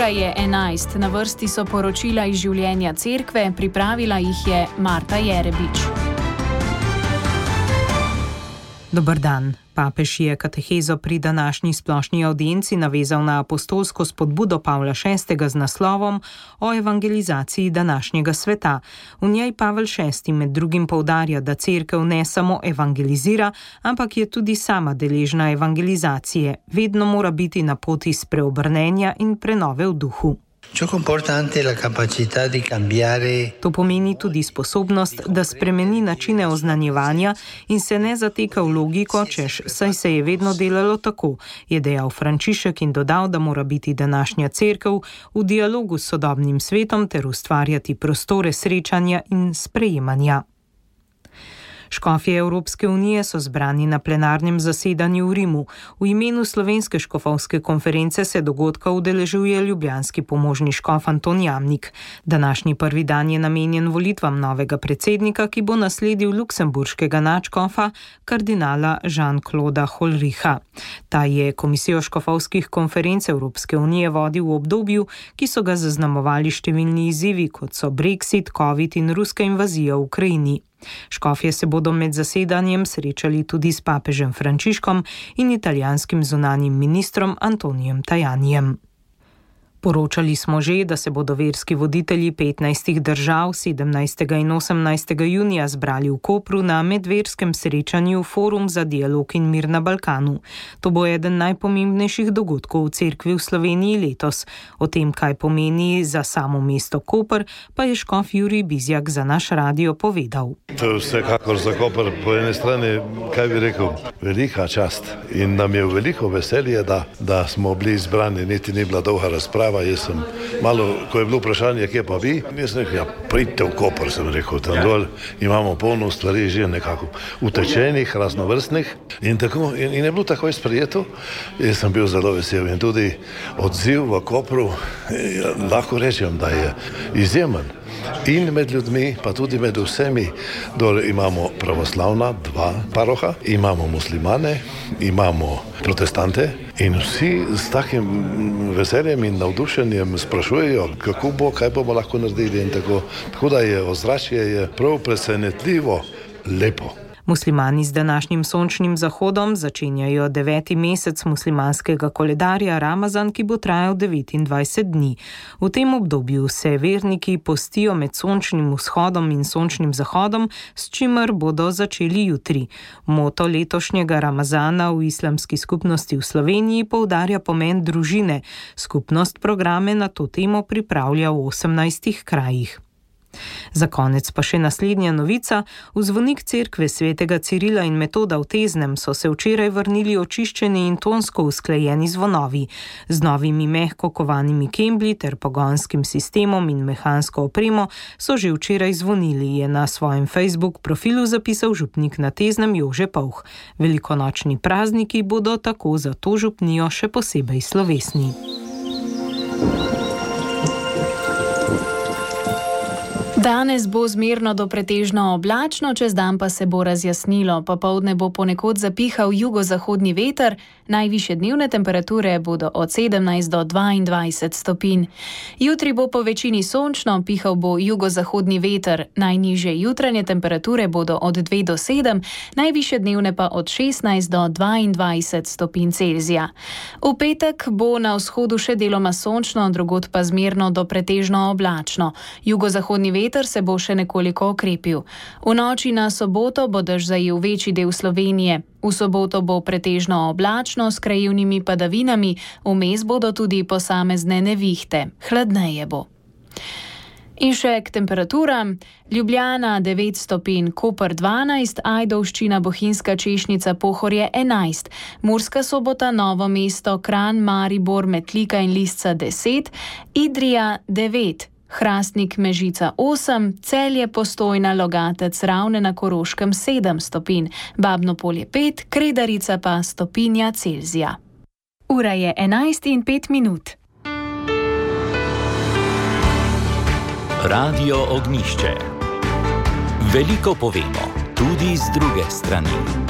Ura je 11, na vrsti so poročila iz življenja cerkve, pripravila jih je Marta Jerebič. Dober dan. Papež je katehezo pri današnji splošni avdienci navezal na apostolsko spodbudo Pavla VI z naslovom o evangelizaciji današnjega sveta. V njej Pavel VI med drugim poudarja, da cerkev ne samo evangelizira, ampak je tudi sama deležna evangelizacije. Vedno mora biti na poti spreobrnenja in prenove v duhu. To pomeni tudi sposobnost, da spremeni načine oznanjevanja in se ne zateka v logiko, češ saj se je vedno delalo tako, je dejal Frančišek in dodal, da mora biti današnja cerkev v dialogu s sodobnim svetom ter ustvarjati prostore srečanja in sprejemanja. Škofje Evropske unije so zbrani na plenarnem zasedanju v Rimu. V imenu Slovenske škofovske konference se dogodka udeležuje ljubljanski pomožni škof Anton Jamnik. Današnji prvi dan je namenjen volitvam novega predsednika, ki bo nasledil luksemburškega nadškofa kardinala Jean-Clauda Holricha. Ta je komisijo škofovskih konferenc Evropske unije vodil v obdobju, ki so ga zaznamovali številni izzivi, kot so Brexit, Covid in ruska invazija v Ukrajini. Škofje se bodo med zasedanjem srečali tudi s papežem Frančiškom in italijanskim zunanjim ministrom Antonijem Tajanijem. Poročali smo že, da se bodo verski voditelji 15 držav 17. in 18. junija zbrali v Kopru na medverskem srečanju Forum za dialog in mir na Balkanu. To bo eden najpomembnejših dogodkov v cerkvi v Sloveniji letos. O tem, kaj pomeni za samo mesto Koper, pa je škof Jurij Bizjak za naš radio povedal. To je vsekakor za Koper po ene strani, kaj bi rekel, velika čast in nam je veliko veselje, da smo bili izbrani, niti ni bila dolga razprava. Jaz sem malo, ko je bilo vprašanje, kje pa vi, jaz sem rekel, pridite v Koper, sem rekel, tam dol imamo polno stvari že nekako utečenih, raznovrstnih in tako, in je bilo takoj sprejeto. Jaz sem bil zelo vesel in tudi odziv v Kopru, lahko rečem, da je izjemen. In med ljudmi, pa tudi med vsemi, dole imamo pravoslavna, 2 paroha, imamo muslimane, imamo protestante in vsi s takim veseljem in navdušenjem sprašujejo, kako bo, kaj bomo lahko naredili in tako. Tako da je ozračje prav presenetljivo lepo. Muslimani z današnjim sončnim zahodom začenjajo 9. mesec muslimanskega koledarja Ramazan, ki bo trajal 29 dni. V tem obdobju se verniki postijo med sončnim vzhodom in sončnim zahodom, s čimer bodo začeli jutri. Moto letošnjega Ramazana v islamski skupnosti v Sloveniji poudarja pomen družine. Skupnost programe na to temo pripravlja v 18 krajih. Za konec pa še naslednja novica. V zvonik cerkve svetega Cirila in Metoda v Teznem so se včeraj vrnili očiščeni in tonsko usklajeni zvonovi. Z novimi mehko kovanimi kembli ter pogonskim sistemom in mehansko opremo so že včeraj zvonili, je na svojem Facebook profilu zapisal župnik na Teznem Jože Povh. Velikonočni prazniki bodo tako za to župnijo še posebej slovesni. Danes bo zmerno do pretežno oblačno, čez dan pa se bo razjasnilo. Popoldne bo ponekod zapihal jugozahodni veter, najvišje dnevne temperature bodo od 17 do 22 stopinj. Jutri bo po večini sončno, pihal bo jugozahodni veter, najnižje jutranje temperature bodo od 2 do 7, najvišje dnevne pa od 16 do 22 stopinj Celzija. V petek bo na vzhodu še deloma sončno, drugod pa zmerno do pretežno oblačno. Jugozahodni veter se bo še nekoliko okrepil. V noči na soboto bo dež zajel večji del Slovenije. V soboto bo pretežno oblačno s krajevnimi padavinami, vmes bodo tudi posamezne nevihte. Hladneje bo. In še k temperaturam. Ljubljana 9 stopinj, Koper 12, Ajdovščina, Bohinjska Češnica, Pohorje 11, Murska Sobota, Novo mesto, Kranj, Maribor, Metlika in Lisca 10, Idrija 9, Hrastnik, Mežica 8, Celje, Postojna, Logatec, Ravne na Koroškem 7 stopinj, Babno Polje 5, Kredarica pa stopinja Celzija. Ura je 11:05. Radio Ognjišče. Veliko povemo, tudi z druge strani.